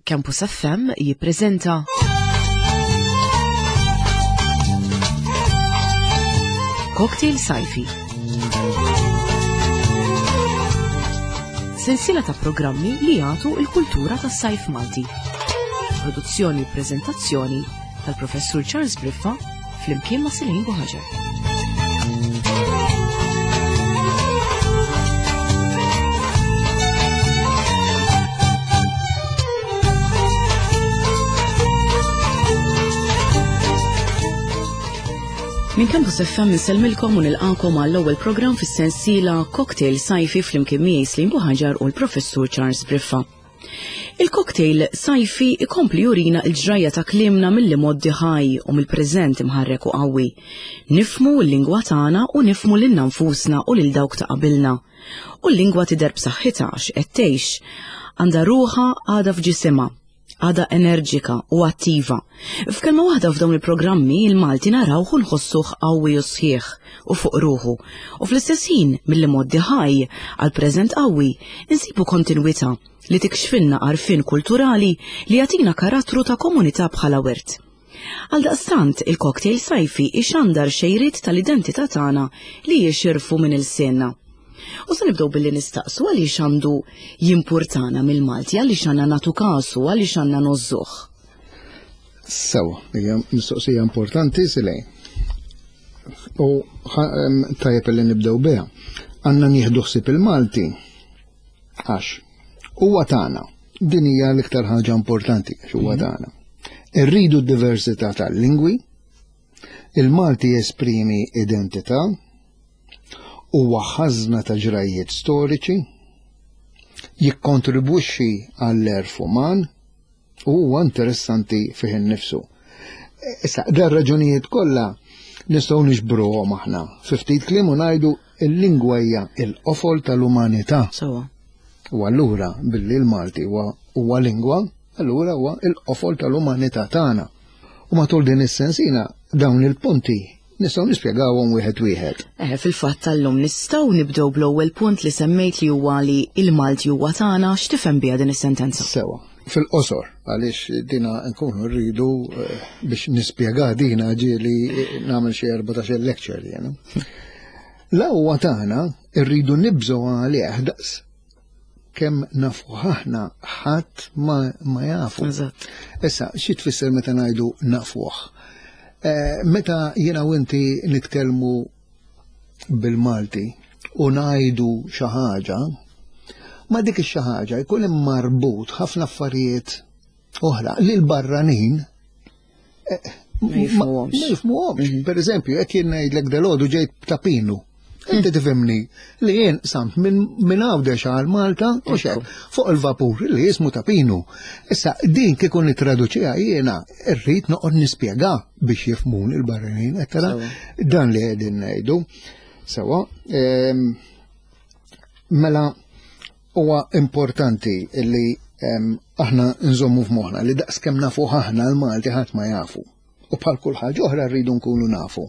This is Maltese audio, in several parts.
Campus FM jippreżenta Cocktail Sajfi. Sensiela ta' programmi li jagħtu l-kultura tas-sajf Malti. Produzzjoni u preżentazzjoni tal-Professur Charles Briffa flimkien ma' Silin Buħaġar. Minn Campus FM nsellmilkom u nilqakom għall-ewwel programm fis-sensiela Cocktail Sajfi flimkien miegħi Slim Buħaġar u l-Professur Charles Briffa. Il-cocktail sajfi ikompli jurina l-ġrajja ta' kliemna mill-imgħoddi ħaj u mill-preżent imħarrek u qawwi. Nifhmu l-lingwa tagħna u nifhmu lilna nfusna u lil dawk ta' qabilna. U l-lingwa tidher b'saħħitha għax qed tgħix. Għandha ruħha għadha f'ġisimha. Għadha enerġika u attiva. F'kelma waħda f'dawn il-programmi il-Malti narawh u nħossuh qawwi u sħiħ u fuq ruħu. U fl-istess ħin mill-imgħoddi ħaj għall-preżent qawwi insibu kontinwità li tikxfilna għarfien kulturali li jagħtina karattru ta' komunità bħala wirt. Għaldaqstant, il-cocktail sajfi ixandar xejriet tal-identità tagħna li jixirfu minn ilsienna. U se nibdew billi nistaqsu għaliex għandu jimpurtana mill-Malti, għaliex għandna nagħtu kasu, għaliex għandna nogħżuh. Sewa, hija mistoqsija importanti silej. U tajjeb li nibdew biha. Għandna nieħdu ħsieb il-Malti għax huwa tagħna. Din hija l-iktar ħaġa importanti għax huwa mhm. tagħna. Irridu d-diversità tal-lingwi, il-Malti jesprimi identità, Huwa ħażna ta' ġrajjiet storiċi, jikkontribwixxi għall-għerf uman u huwa interessanti fih innifsu. Issa, dar raġunijiet kollha nistgħu niġbruhom aħna fi ftit kliem u ngħidu l-lingwa hija l-qofol tal-umanità. Sewwa. U allura billi l-Malti huwa lingwa, allura huwa l-qofol tal-umanità tagħna. U matul din is-sensina dawn il-punti Nistgħu nispjegawhom wieħed wieħed. Eh, fil-fatt tal-lum nistgħu nibdew bl-ewwel punt li semmejt li huwa li il-Malti huwa tagħna, x'tifhem biha din is-sentenza? Sewa, fil-qosor, għaliex dina nkunu rridu eh, biex nispjega dina ġieli eh, nagħmel xi 14 lecture jiena. La huwa tagħna rridu nibżgħu għalih daqs kemm nafu aħna ħadd ma, ma jafu. Eżatt. Issa, xi tfisser meta ngħidu nafuh? Eh, meta jiena u inti nitkellmu bil-Malti u ngħidu xi ħaġa, ma dik ix-xi ħaġa jkun hemm marbut ħafna affarijiet oħra li l-barranin eh, Ma jifhmuhomx. Ma jifhmuhomx. Mhm. Per eżempju, jekk jien ngħidlek dalgħodu ġejt ta' pinu. Inti mhm. tifhimni li jien samt minn Għawdex għal Malta u xek fuq il-vapur li jismu ta' pinu. Issa din kieku nittraduċiha jiena rrid noqgħod nispjega biex jifhmuni l-barranin, qed tara dan li qegħdin ngħidu. Sewa, ehm, mela Huwa importanti li aħna nżommu f'moħħna li daqskemm nafuh aħna l-Malti ħadd ma jafu. U bħal kull ħaġa oħra rridu nkunu nafu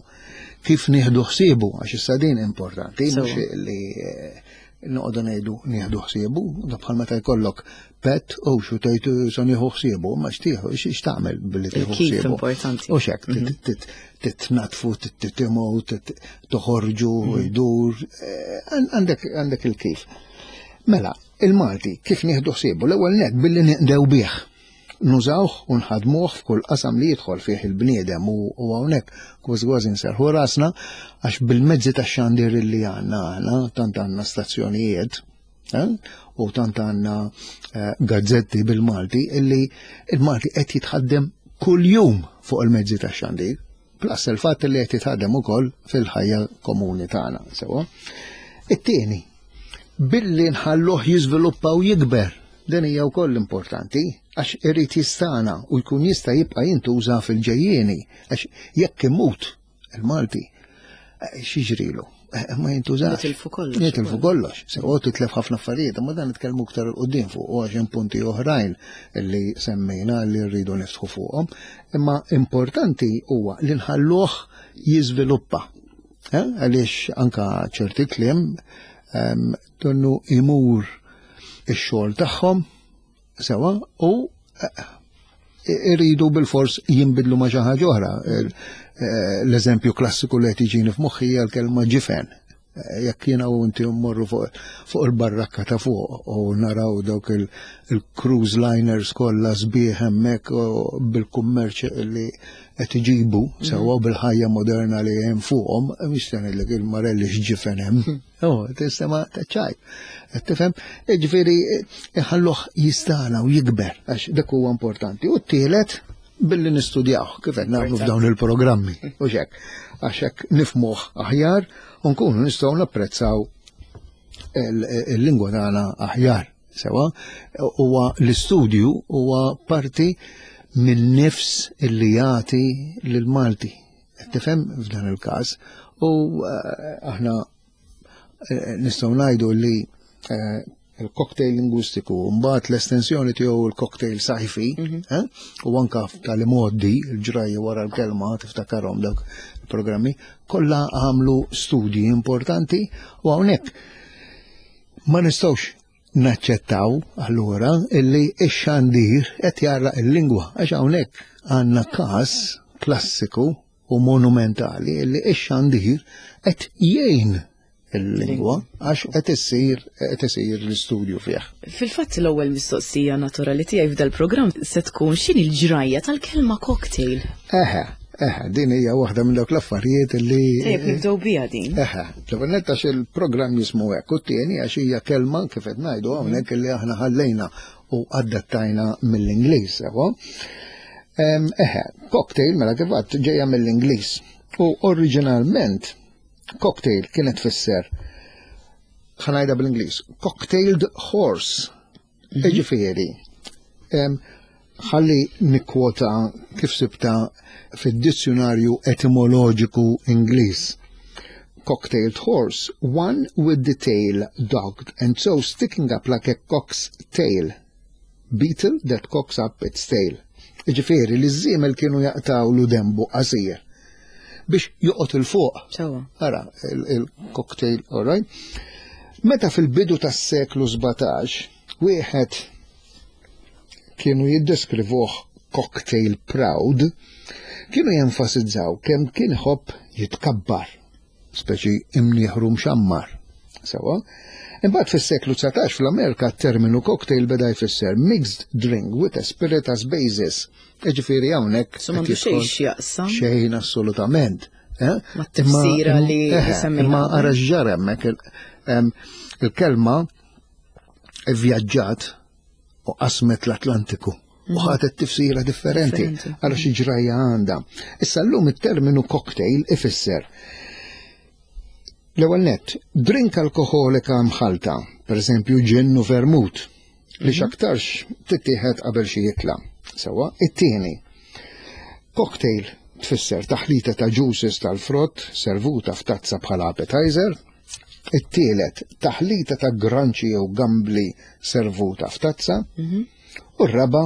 kif nieħdu ħsiebu għax issa din importanti mhux li eh, noqogħdu ngħidu nieħdu ħsiebu, da bħal meta jkollok pet u xu tgħid eh, se nieħu ħsiebu, ma xtieħu x'tagħmel billi tieħu ħsiebu. importanti. U xek mhm. titnatfu, tittimgħu, toħorġu, mhm. jdur, eh, għandek il-kif. Mela, il-Malti kif nieħdu ħsiebu? L-ewwel nett billi ninqdew bih. Nużawh u nħadmuh f'kull qasam li jidħol fih il-bniedem u hawnhekk kważi kważi nserrħu rasna għax bil-mezzi tax-xandir li għandna aħna, tant għandna stazzjonijiet eh, u tant għandna eh, gazzetti bil-Malti illi il-Malti qed jitħaddem kuljum fuq il-mezzi tax-xandir. Plus il-fatt li qed jitħaddem ukoll fil-ħajja komuni tagħna, sewa. It-tieni, billi nħalluh jiżviluppa u jikber, din hija wkoll importanti għax irid jistana u jkun jista' jibqa' jintuża fil-ġejjieni għax jekk imut il-Malti, eh, x'jiġrilu? Eh, ma jintużax. Nitilfu kollox. Nitilfu kollox. Sewa titlef ħafna affarijiet, ma dan nitkellmu iktar il qudiem fuq u għax hemm punti oħrajn li semmejna li rridu niftħu fuqhom. Imma importanti huwa li nħalluh jiżviluppa. Eh, għaliex anka ċerti kliem ehm, donnu imur ix-xogħol tagħhom sewa u iridu bil-fors jinbidlu ma' xi ħaġa oħra. L-eżempju klassiku li qed jiġini f'moħħi hija l-kelma ġifen. Jekk jiena u inti mmorru fuq il-barrakka ta' fuq u naraw dawk il-cruise liners kollha sbieħ hemmhekk bil-kummerċ li qed iġibu sewwa bil-ħajja moderna li hemm fuqhom, mhix se ngħidlek il-marelli x'ġifen hemm. Oh, tistema ta' ċajt. Qed tifhem? Ġifieri iħalluh jistana u jikber għax dak huwa importanti. U t-tielet billi nistudjaw kif qed nagħmlu f'dawn il-programmi u xek. Għax hekk nifmuh aħjar u nkunu nistgħu napprezzaw il-lingwa tagħna aħjar. Sewa, huwa l-istudju huwa parti minn nifs illi jagħti lill-Malti. Tifhem f'dan il-każ u aħna nistgħu ngħidu li il-cocktail lingwistiku, mbagħad l-estensjoni tiegħu il-cocktail sajfi, u anka tal-modi, il-ġrajja wara l-kelma, tiftakarhom dawk il-programmi, kollha għamlu studji importanti u hawnhekk ma nistgħux naċċettaw allura illi x-xandir qed jarraq il-lingwa għax hawnhekk għandna każ klassiku u monumentali illi x-xandir qed jgħin il-lingwa għax qed issir qed isir l-istudju fih. Fil-fatt l-ewwel mistoqsija naturali tiegħi f'dal-programm se tkun x'inhi l-ġrajja tal-kelma cocktail. Eħe, eħe, din hija waħda minn dawk l-affarijiet li. Tajjeb nibdew biha din. Eħe, l-ewwel nett għax il-programm jismu hekk u t-tieni għax hija kelma kif qed ngħidu hawnhekk li aħna ħallejna u adattajna mill-Ingliż, sewa. Eħe, cocktail mela kif għedt ġejja mill-Ingliż u oriġinalment cocktail kienet tfisser, ħa ngħidha bl-Ingliż, cocktailed horse. Ġifieri, ħalli nikkwota kif sibta fid-dizzjonarju etimoloġiku Ingliż. Cocktailed horse, one with the tail docked and so sticking up like a cock's tail. Beetle that cocks up its tail. Ġifieri li ż-żiemel kienu jaqtawlu dembu qasir biex joqgħod 'il fuq. Sewwa. Ara, il-cocktail, all right? Meta fil-bidu tas-seklu 17, wieħed kienu jiddeskrivuh cocktail proud, kienu jenfasizzaw kemm kien iħobb jitkabbar, speċi imnieħru mxammar. Sewwa. Imbagħad fis-seklu 19 fl-Amerika t-terminu cocktail beda jfisser mixed drink with a spirit as basis. Ġifieri hawnhekk. So m'għandu xejn x'jaqsam. Xejn assolutament. Ma tifsira li semmejna. Imma ara x'ġara hemmhekk il-kelma vvjaġġat u qasmet l-Atlantiku u ħadet tifsira differenti għal xi ġrajja għandha. Issa llum it-terminu cocktail ifisser l-ewwel nett, drink alkoħolika mħalta, pereżempju ġin u vermut, li x'aktarx tittieħed qabel xi ikla. Sewwa, it-tieni, cocktail tfisser taħlita ta' juices tal-frott servuta f'tazza bħala appetizer. It-tielet, taħlita ta' granċi jew gambli servuta f'tazza. U r-raba',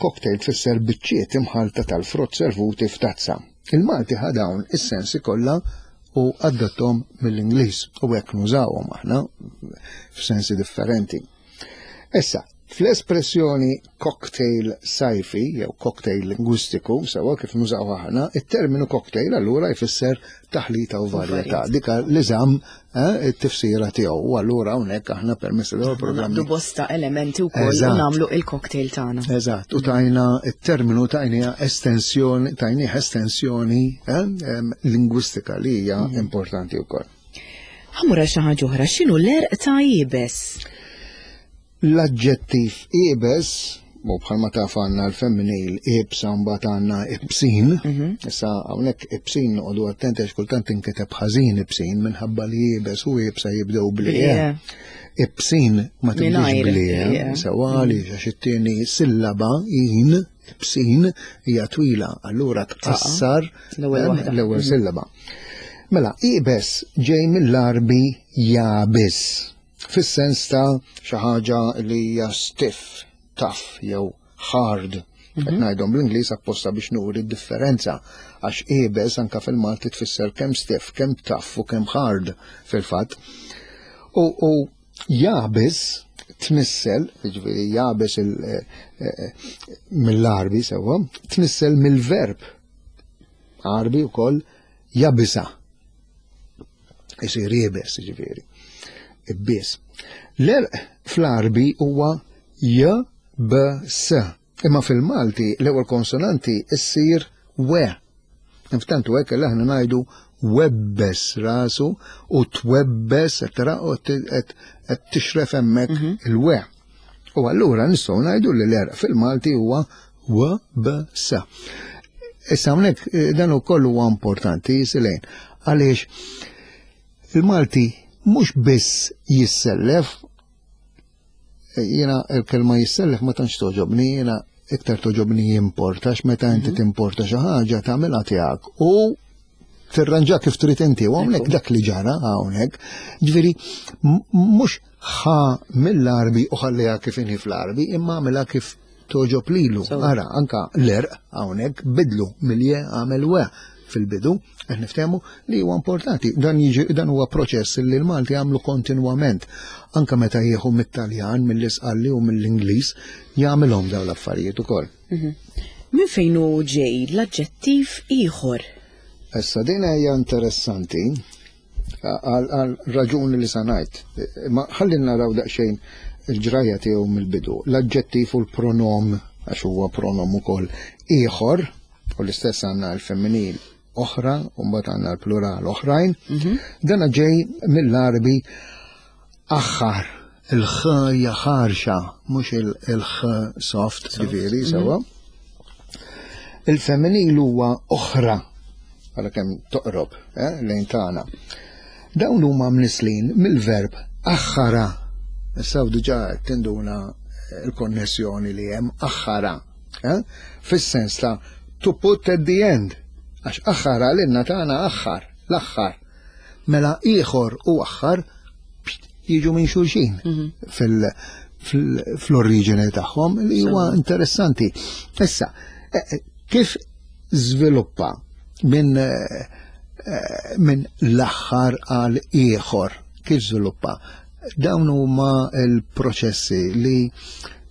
cocktail tfisser biċċiet imħalta tal-frott servuti f'tazza. Il-Malti ħa dawn is-sensi kollha u adattom mill-Ingliż u hekk nużawhom aħna f'sensi differenti. Issa, fl-espressjoni cocktail sajfi jew cocktail lingwistiku, sewwa kif nużaw aħna, it-terminu cocktail allura jfisser taħlita u varjetà. Dika li żamm it-tifsira tiegħu. U allura hawnhekk aħna permezz ta' programmi. Naqdu bosta elementi wkoll u nagħmlu il-cocktail tagħna. Eżatt, u tajna it-terminu tajniha estensjoni, tajnieh estensjoni lingwistika li hija importanti wkoll. Ħa mmur għal xi ħaġa oħra, x'inhu l-għerq ta' iebes? L-aġġettiv iebes, u bħalma taf għandna l-femminil ibsa mbagħad għandna ibsin, issa hawnhekk ibsin noqogħdu attenti għax kultant tinkiteb ħażin ibsin minħabba li iebes u ibsa jibdew bli. Ibsin ma tibdiex bli, sewwa għaliex għax it-tieni sillaba in ibsin hija twila, allura tqassar l-ewwel sillaba. Mela, iebes ġej mill-Għarbi jabis. Fis-sens ta' xi ħaġa li hija stiff, tough jew hard. Qed ngħidhom bl-Ingliż apposta biex nuri d-differenza għax iebes anka fil-Malti tfisser kemm stiff, kemm tough u kemm hard fil-fatt. U jabis tnissel, jiġifieri jabes eh, eh, mill-Għarbi sewwa, tnissel mill-verb Għarbi wkoll jabisa. Isir jibes, jiġifieri. Ibbies. L-erq fl-Għarbi huwa j b s. Imma fil-Malti l-ewwel konsonanti ssir we. Inftantu hekk li aħna ngħidu webbes rasu u twebbes tara u qed tixref hemmhekk mhm. il-we. U allura nistgħu ngħidu li l-erq fil-Malti huwa w b s. Issa hawnhekk eh, dan ukoll huwa importanti jisilejn għaliex il-Malti mhux biss jissellef Jiena il-kelma jissellef ma tantx toġobni, jiena iktar toġobni jimporta, meta inti mhm. timporta xi ħaġa tagħmilha tiegħek u tirranġa kif trid inti u hawnhekk dak li ġara hawnhekk. Ġifieri mhux ħa mill-arbi u ħalliha kif inhi fl-arbi, imma għamilha kif toġob lilu. Ara, anka l-erq hawnhekk bidlu milje għamel we fil-bidu, qed niftehmu li huwa importanti. Dan jiġi dan huwa proċess li l-Malti għamlu kontinwament. Anka meta jieħu mit-Taljan, mill-Isqalli u mill-Ingliż, jagħmilhom dawn l-affarijiet ukoll. Mhm. Minn fejn hu ġej l-aġġettiv ieħor? Issa din hija interessanti għal raġuni li sanajt. Ma ħalli naraw daqsxejn il-ġrajja tiegħu mill-bidu. L-aġġettiv u l-pronom, għax huwa pronom ukoll ieħor, u l-istess għandna l-femminil oħra, u mbagħad għandna l-plural oħrajn. Mhm. Dana ġej mill-Arbi aħħar, il-ħ hija ħarxa, mhux il-ħ soft, ġifieri mhm. sewwa. Il-femminil huwa oħra, għala kemm toqrob eh, lejn tagħna. Dawn huma mnislin mill-verb aħħara. Issa diġà tinduna l-konnessjoni li hemm aħħara. Eh? Fis-sens ta' to put at the end, għax aħħar għalinna tagħna aħħar, l-aħħar. Mela ieħor u aħħar jiġu minn xulxin mhm. fl-oriġini tagħhom li huwa interessanti. Issa, eh, eh, kif żviluppa minn min l-aħħar għal ieħor, kif żviluppa? Dawn huma l-proċessi li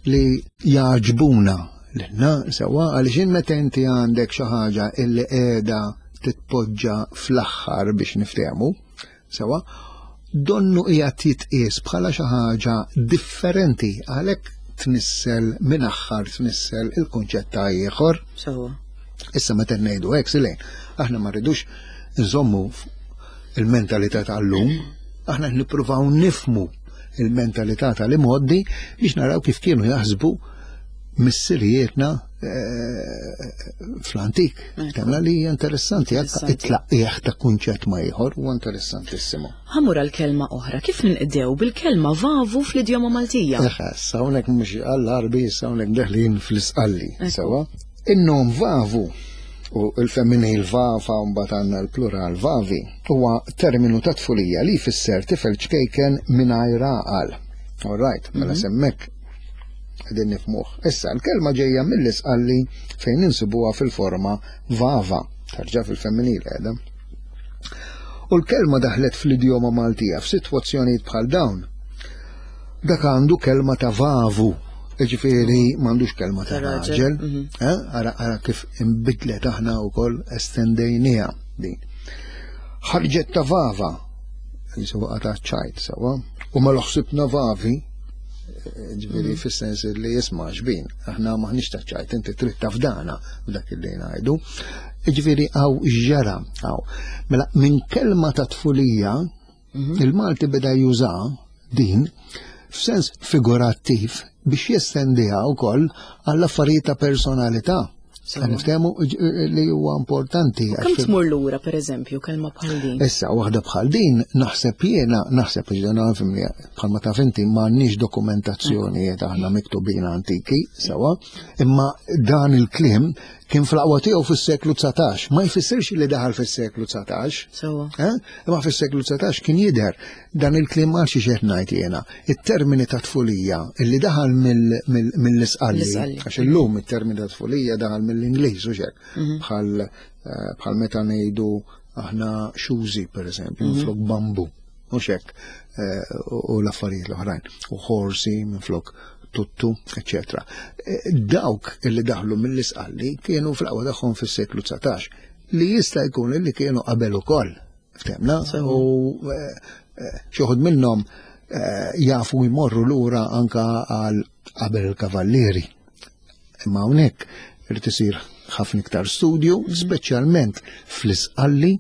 li jagħġbuna lilna sewwa għaliex in meta inti għandek xi ħaġa illi qiegħda titpoġġa fl-aħħar biex niftehmu, sewwa, donnu qiegħed jitqies bħala xi ħaġa differenti għalhekk tnissel minn aħħar tnissel il-kunċett ta' ieħor. Sewwa. Issa meta ngħidu hekk silejn, aħna ma rridux nżommu il-mentalità tal-lum, aħna nippruvaw nifmu il-mentalità tal-imgħoddi biex naraw kif kienu jaħsbu missirijietna eh, fl-antik. Temla li hija interessanti, it-tlaqqieħ ta' kunċett ma ieħor huwa interessantissimu. Ħamur għal kelma oħra, kif ninqdew bil-kelma vavu fl-idjoma Maltija? Eħe, hawnhekk mhux għall-Arbi, hawnhekk deħlin fl-Isqalli, sewwa. In-nom vavu u l-femminil vafa u mbagħad għandna l-plural vavi huwa terminu ta' tfulija li jfisser tifel ċkejken mingħajr għaqal. All right, mela mhm. semmek qegħdin nifmuh. Issa l-kelma ġejja mill-isqalli fejn insibuha fil-forma vava, tarġa' fil-femminil qiegħda. U l-kelma daħlet fl-idjoma Maltija f'sitwazzjonijiet bħal dawn. Dak għandu kelma ta' vavu, ġifieri m'għandux kelma ta' raġel. Mhm. Eh, ara ara kif imbidlet aħna wkoll estendejniha din. Ħarġet ta' vava, jisu ta' ċajt sewa, u ma l-ħsibna vavi, eh, ġifieri mhm. fis-sens li jisma' xbin, aħna maħniex ta' ċajt, inti trid tafdana f'dak li ngħidu. Ġifieri għaw ġara għaw. Mela minn kelma ta' tfulija Mhm. Il-Malti beda juża din f'sens figurattiv biex jestendiha wkoll għall affarijiet ta' personalità. Niftehmu li huwa importanti. Kemm tmur lura pereżempju kelma bħal din? Issa waħda bħal din naħseb jiena naħseb ġdana fimni bħalma taf inti m'għandniex dokumentazzjonijiet aħna miktubin antiki sewa, imma dan il-kliem Kien fl-aqwa tiegħu fis-seklu 19, ma jfissirx li daħal fis-seklu 19. Sewwa. Eh? Imma fis-seklu 19 kien jidher dan il-kliem għal xi qed ngħid jiena. It-termini ta' tfulija illi daħal mill-isqalli, għax illum it-termini ta' tfulija daħal mill-Ingliż u xek. Mhm. Bħal eh, bħal meta ngħidu aħna xużi pereżempju, mhm. flok bambu. mhux hekk eh, u l-affarijiet l-oħrajn, u ħorsi minflok tuttu, eccetera. Eh, dawk illi daħlu mill-isqalli kienu fl-aqwa tagħhom fis-seklu 19 li jista' jkun illi kienu qabel ukoll. Ftemna? U eh, xi wħud minnhom jafu jmorru lura anka għal qabel il-kavallieri. Imma hawnhekk irid isir ħafna iktar studju, speċjalment fl-isqalli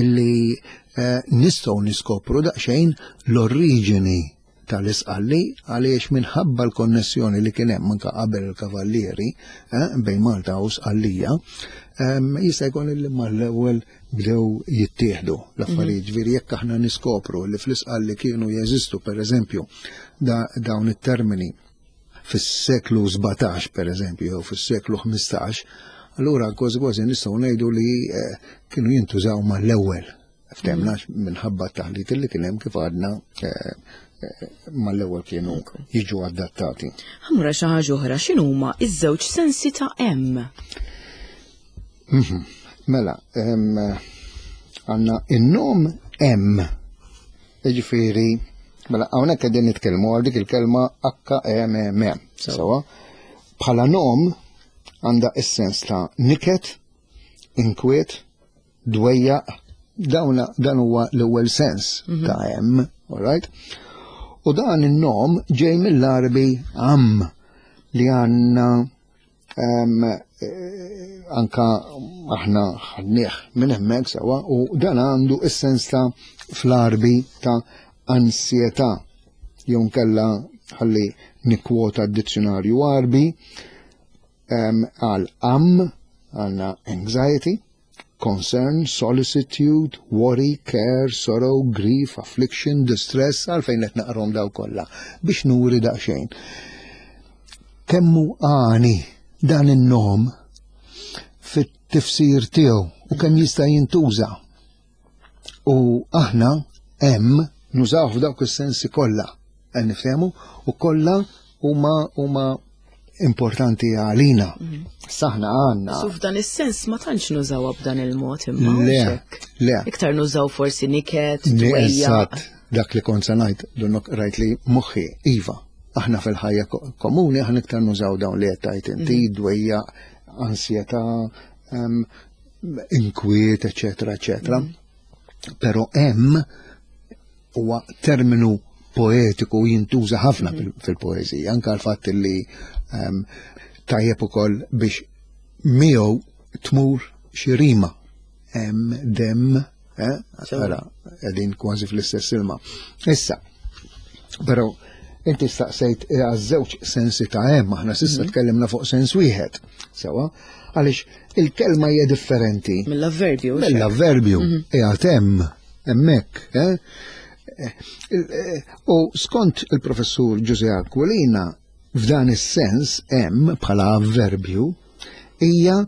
illi eh, nistgħu niskopru daqsxejn l-oriġini tal-isqalli għaliex minħabba l-konnessjoni li kien hemm anke qabel il-kavallieri eh, bejn Malta u Sqallija, ehm, jista' jkun li mal-ewwel bdew jittieħdu l-affarijiet. Mhm. Ġifieri jekk aħna niskopru li fl-isqalli kienu jeżistu pereżempju dawn it-termini fis-seklu 17 per eżempju, jew fis-seklu 15, allura kważi kważi nistgħu ngħidu li eh, kienu jintużaw mal-ewwel. Ftemna mm. minħabba t-taħlit li kien hemm kif għadna eh, eh, mal-ewwel kienu jiġu adattati. Ħamra xi ħaġa oħra x'inhuma iż-żewġ sensi ta' hemm? Mhm. Mela, għandna in-nom hemm Jiġifieri, mela hawnhekk qegħdin nitkellmu għal dik il-kelma H-E-M-M. Sewa. Bħala nom għandha is-sens ta' niket, inkwiet, dwejjaq, dawna dan huwa l-ewwel sens mhm. ta' hemm, all right? U dan in-nom ġej mill-Arbi am li għandna Eh, anka aħna ħadnieh minn hemmhekk sewa u dan għandu is-sens ta' fl-arbi ta' ansjetà jew nkella ħalli nikkwota d-dizzjonarju arbi għal am għandna anxiety, concern, solicitude, worry, care, sorrow, grief, affliction, distress, għalfejn qed naqrom daw kollha biex nuri daqsxejn. Kemmu għani dan in-nom fit-tifsir tiegħu u kemm jista' jintuża. U aħna hemm nużaw f'dawk is-sensi kollha, qed niftehmu, u kollha huma huma importanti għalina. Mhm. Saħna għanna. Su f'dan is-sens ma tantx nużawha b'dan il-mod imma. Le, le. Iktar nużaw forsi niket, Eżatt, dak li kont se ngħid, donnok rajt li moħħi, iva, aħna fil-ħajja komuni aħna iktar nużaw dawn li qed tgħid inti, mhm. dwejja, ansjetà, inkwiet, eċetera, eċetera. Mhm. Però hemm huwa terminu poetiku jintuża ħafna mhm. fil-poeżija, anka l-fatt li ehm, tajjeb ukoll biex miegħu tmur xi rima hemm dem, eh, ara qegħdin kważi fl-istess ilma. Issa, però inti staqsejt eh, għaż-żewġ sensi ta' hemm, aħna s'issa mhm. tkellimna fuq sens wieħed. Sewa, għaliex il-kelma hija differenti. Mill-avverbju. Mill-avverbju, mhm. qiegħed hemm hemmhekk. Eh? Eh, u skont il-professur Ġuże Aquilina, f'dan is-sens hemm bħala avverbju hija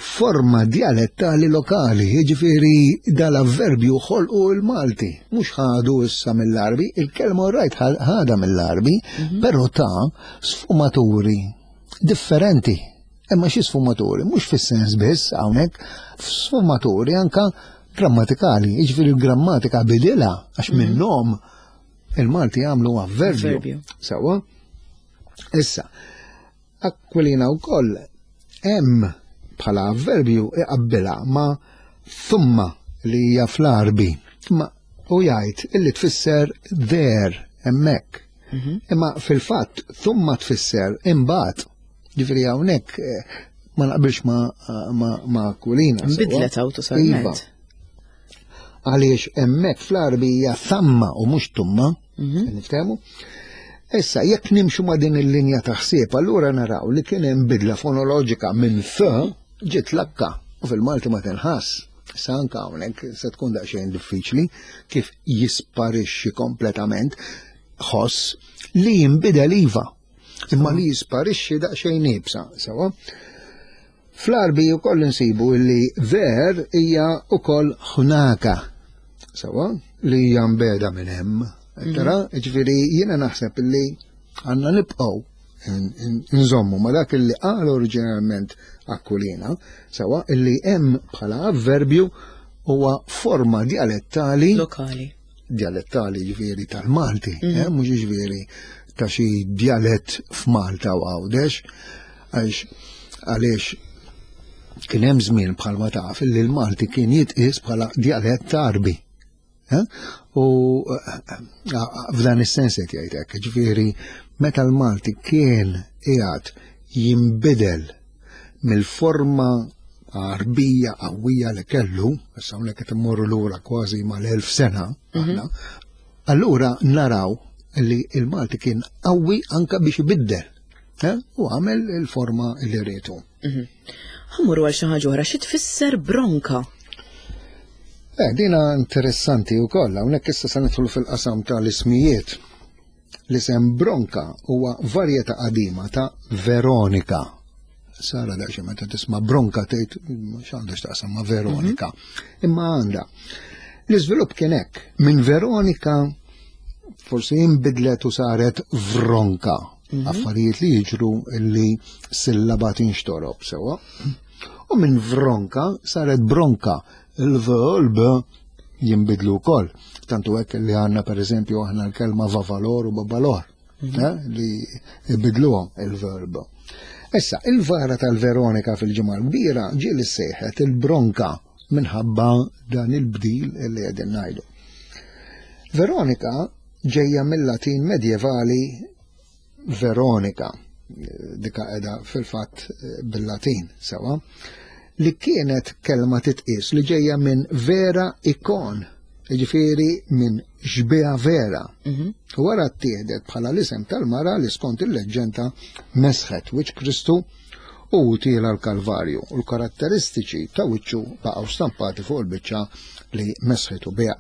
forma dialettali lokali, jiġifieri dal-avverbju ħolqu l-Malti, mhux ħadu issa mill-Arbi, il-kelma rajt ħada mill-Arbi, mhm. però ta' sfumaturi differenti. Imma xi sfumaturi, mhux fis-sens biss hawnhekk, sfumaturi anka grammatikali, jiġifieri l-grammatika bidilha għax mhm. minnhom il-Malti għamlu avverbju. Sewwa? Issa, Aquilina wkoll hemm bħala avverbju iqabbilha ma' thumma li hija fl-Għarbi. Ma u jgħid illi tfisser there hemmhekk. Mhm. Imma fil-fatt thumma tfisser imbagħad. Ġifieri hawnhekk eh, ma naqbilx ma, ma, ma Aquilina. Bidlet awtosalment. Iva. Għaliex hemmhekk fl-Għarbi hija thamma u mhux tumma. Mhm. Niftehmu? Issa, jekk nimxu ma' din il-linja ta' ħsieb, allura naraw li kien hemm bidla fonoloġika minn f ġiet lakka u fil-Malti ma tinħass. Issa anka hawnhekk se tkun daqsxejn diffiċli kif jisparixxi kompletament ħoss li jinbidel iva. Imma li jisparixxi daqsxejn ibsa, sewa. Fl-Għarbi wkoll insibu li ver hija wkoll ħunaka, sewa, li hija mbeda minn hemm. Tara, mhm. ġifieri jiena naħseb li għandna nibqgħu nżommu ma dak li qal oriġinalment Aquilina, sewa illi hemm bħala avverbju huwa forma dialettali lokali. Dialettali ġifieri tal-Malti, mm -hmm. eh, mhux ġifieri ta' xi djalett f'Malta u Għawdex, għax għaliex kien hemm żmien bħalma taf li l-Malti kien jitqies bħala djalett Għarbi. Eh? U eh, f'dan is-sens qed jgħid hekk, ġifieri meta l-Malti kien qiegħed jinbidel mill-forma Għarbija qawwija li kellu, issa hawnhekk qed immorru lura kważi mal-1000 sena, mhm. allura naraw li il-Malti kien qawwi anka biex ibiddel eh, u għamel il-forma li rietu. Mhm. Ħammur għal xi ħaġa oħra, xi tfisser bronka? Eh, dina interessanti wkoll, hawnhekk issa se nidħlu fil-qasam tal-ismijiet. L-isem Bronka huwa varjetà qadima ta' Veronika. Sara daqsxejn meta tisma' Bronka tgħid x'għandha x'taqsam ma' Veronika. Mhm. Imma għandha. L-iżvilupp kien hekk. Minn Veronika forsi inbidlet u saret Vronka. Mhm. Affarijiet li jiġru li sillaba tinxtorob sewwa. U minn Vronka saret Bronka Il-V u l-B jinbidlu wkoll. Tantu hekk li għandna pereżempju aħna l-kelma vavalor u babalor, mhm. eh, li jbidluhom il-verb. Issa, il-vara tal-Veronika fil-ġimgħa l-kbira ġie li sejħet il-bronka minħabba dan il-bdil li qegħdin ngħidu. Veronika ġejja mill-Latin medjevali Veronika, dika qiegħda fil-fatt eh, bil-Latin sewa, li kienet kelma titqis li ġejja minn vera ikon, jiġifieri minn xbiha vera. Mhm. U wara ttieħdet bħala l-isem tal-mara li skont il-leġġenda mesħet wiċċ Kristu u tiela l-Kalvarju u l-karatteristiċi ta' wiċċu baqgħu stampati fuq il-biċċa li mesħitu biha.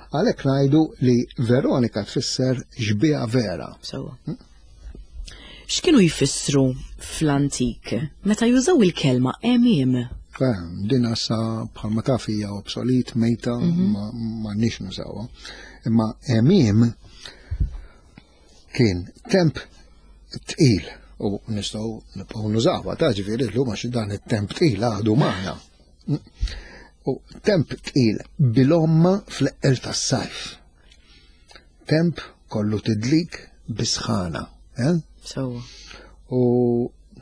Għalhekk ngħidu li Veronika tfisser xbieha vera. Sewwa. Hm? X'kienu jfissru fl-antik meta jużaw il-kelma għemiem? Eh, din issa bħalma taf hija obsolit, mejta, mhm. ma nix nużawha. Imma għemiem kien temp tqil u nistgħu nibqgħu nużawha ta' ġifieri llum għax dan it-temp tqil għadu magħna. U temp tqil bil-omma fl-eqqel tas-sajf. Temp kollu tidlik bisħana. Eh? Sewwa. U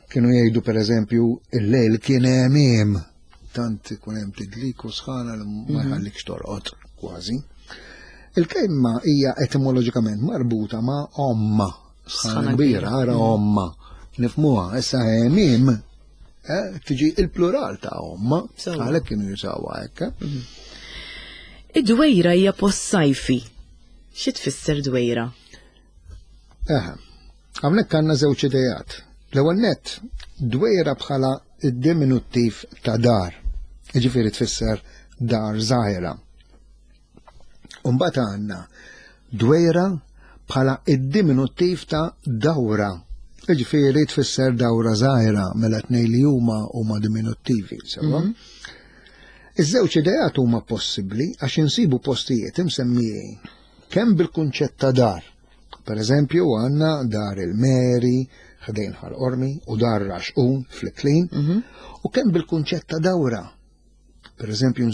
kienu jgħidu per eżempju il-lejl kien għemiem tant ikun hemm tidlik u sħana li ma mhm. jħallikx torqod kważi. Il-kelma hija etimoloġikament marbuta ma' omma, sħana kbira, ara mhm. omma. Nifmuha, issa għemiem eh, tiġi il-plural ta' omma, għalhekk kienu jużawha hekk. Eh. Mhm. Id-dwejra hija post sajfi. Xi tfisser dwejra? Eħe, hawnhekk għandna żewġ idejat. L-ewwel nett, dwejra bħala id-diminuttiv ta' dar, jiġifieri tfisser dar żgħira. U mbagħad għandna dwejra bħala id-diminuttiv ta' dawra, jiġifieri tfisser dawra żgħira mela tnejn li huma huma diminuttivi, sewwa. Mm -hmm. Iż-żewġ idejat huma possibbli għax insibu postijiet imsemmijin kemm bil-kunċett ta' dar. Per eżempju, għandna dar il-Meri, ħdejn Ħal Qormi, u dar Raxqun fl-Iklin, mm -hmm. u kemm bil-kunċett ta' dawra. Per eżempju,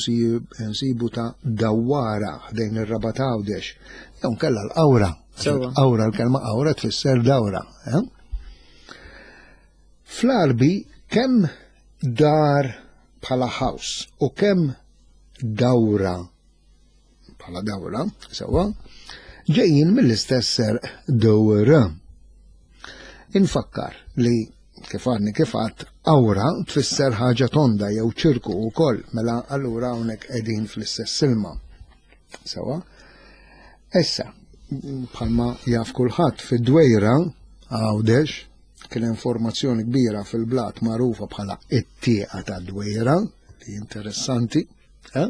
nsibu ta' dawara ħdejn ir-Rabat Għawdex, jew nkella l-qawra. Qawra, l-kelma qawra tfisser dawra. Eh? Fl-Arbi kemm dar bħala house u kemm dawra bħala dawra, sewwa, ġejjin mill-istess serq dowr. Infakkar li kif għadni kif għadt awra tfisser ħaġa tonda jew ċirku wkoll, mela allura hawnhekk qegħdin fl-istess ilma. Sewwa. Issa, bħalma jaf kulħadd fid-dwejra Għawdex kien hemm formazzjoni kbira fil-blat magħrufa bħala it-tieqa ta' dwejra, li interessanti, eh?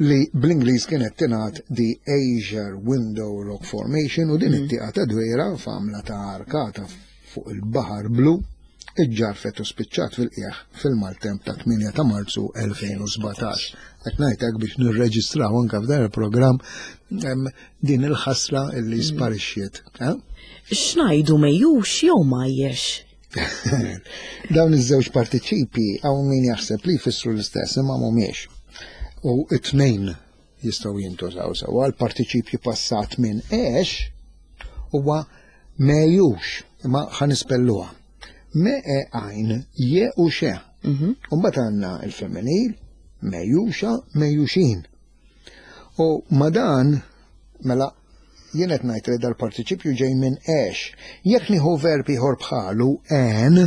li bl-Ingliż kienet tingħad the Azure Window Rock Formation u din mm. it-tieqa ta' dwejra f'għamla ta' arkata fuq il-baħar blu iġġarfet u spiċċat fil-qieħ fil-maltemp ta' 8 ta' Marzu 2017. Qed ngħidlek biex nirreġistraw anke f'dan il-programm din il-ħasra illi mm. sparixxiet. Eh? X'ngħidu mejjux jew majjex? Dawn iż-żewġ partiċipi hawn min jaħseb li jfissru l-istess imma mhumiex. U it-tnejn jistgħu jintużaw sewwa. L-partiċipju passat minn għex huwa mejux, imma ħa nispelluha. Me e għajn je u xe. U mbagħad għandna l-femminil, mejjuxa, mejjuxin. U ma dan, mela, jien qed ngħid li dal-partiċipju ġej minn għex. Jekk nieħu verb ieħor bħalu għen,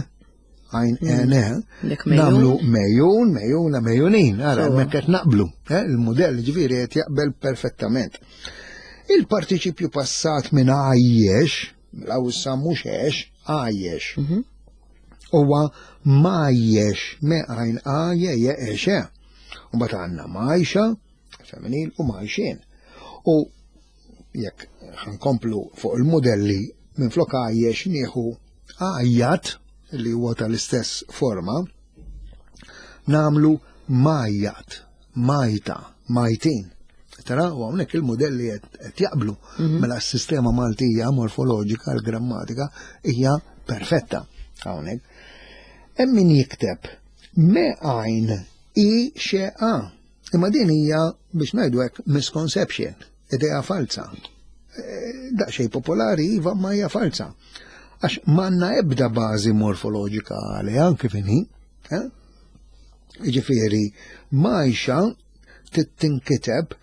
għajn għen, Dik mejjun. nagħmlu mejjun, mejjuna, mejjunin. Ara, hemmhekk qed naqblu. Il-mudell ġifieri qed jaqbel perfettament. Il-partiċipju passat minn għajjex, mela issa mhux għex, għajjex. Huwa majjex, me għajn għajje, je, e, xe. U mbagħad għandna majxa, femminil, u majxin. U jekk ħankomplu fuq il-modelli minn flok għajjex nieħu għajjat li huwa tal-istess forma, namlu majjat, majta, majtin. Tara, u hawnhekk il-modelli qed jaqblu. Mela s-sistema Maltija morfoloġika, l-grammatika, hija perfetta hawnhekk. Hemm min jikteb me għajn i xe a. Imma din hija biex ngħidu hekk misconception, idea falsa. Daqsxejn popolari iva ma hija falsa. Għax m'għandna ebda bażi morfoloġika għaliha kif inhi. Jiġifieri majxa tinkiteb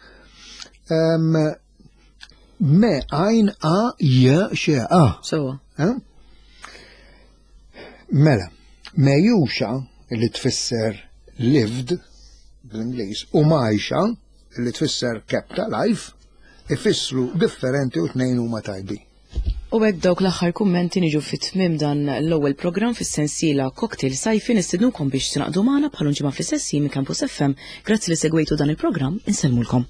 me għajn a j xe a. Sewa. Mela, mejjuxa li tfisser lived bl-Ingliż u majxa li tfisser kept alive ifissru differenti u tnejn huma tajbin. U hekk dawk l-aħħar kummenti niġu fi tmiem dan l-ewwel programm fis-sensiela Cocktail Sajfi. Nistednukom biex tingħaqdu magħna bħal ġimgħa fl-istess ħin minn Campus FM. Grazzi li segwejtu dan il-programm, insellmulkom.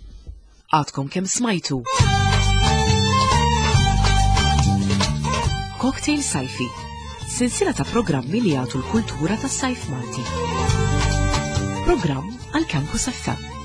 Għadkom kemm smajtu. Cocktail Sajfi, sensiela ta' programmi li jagħtu l-kultura tas-sajf Malti. Programm għal Campus FM.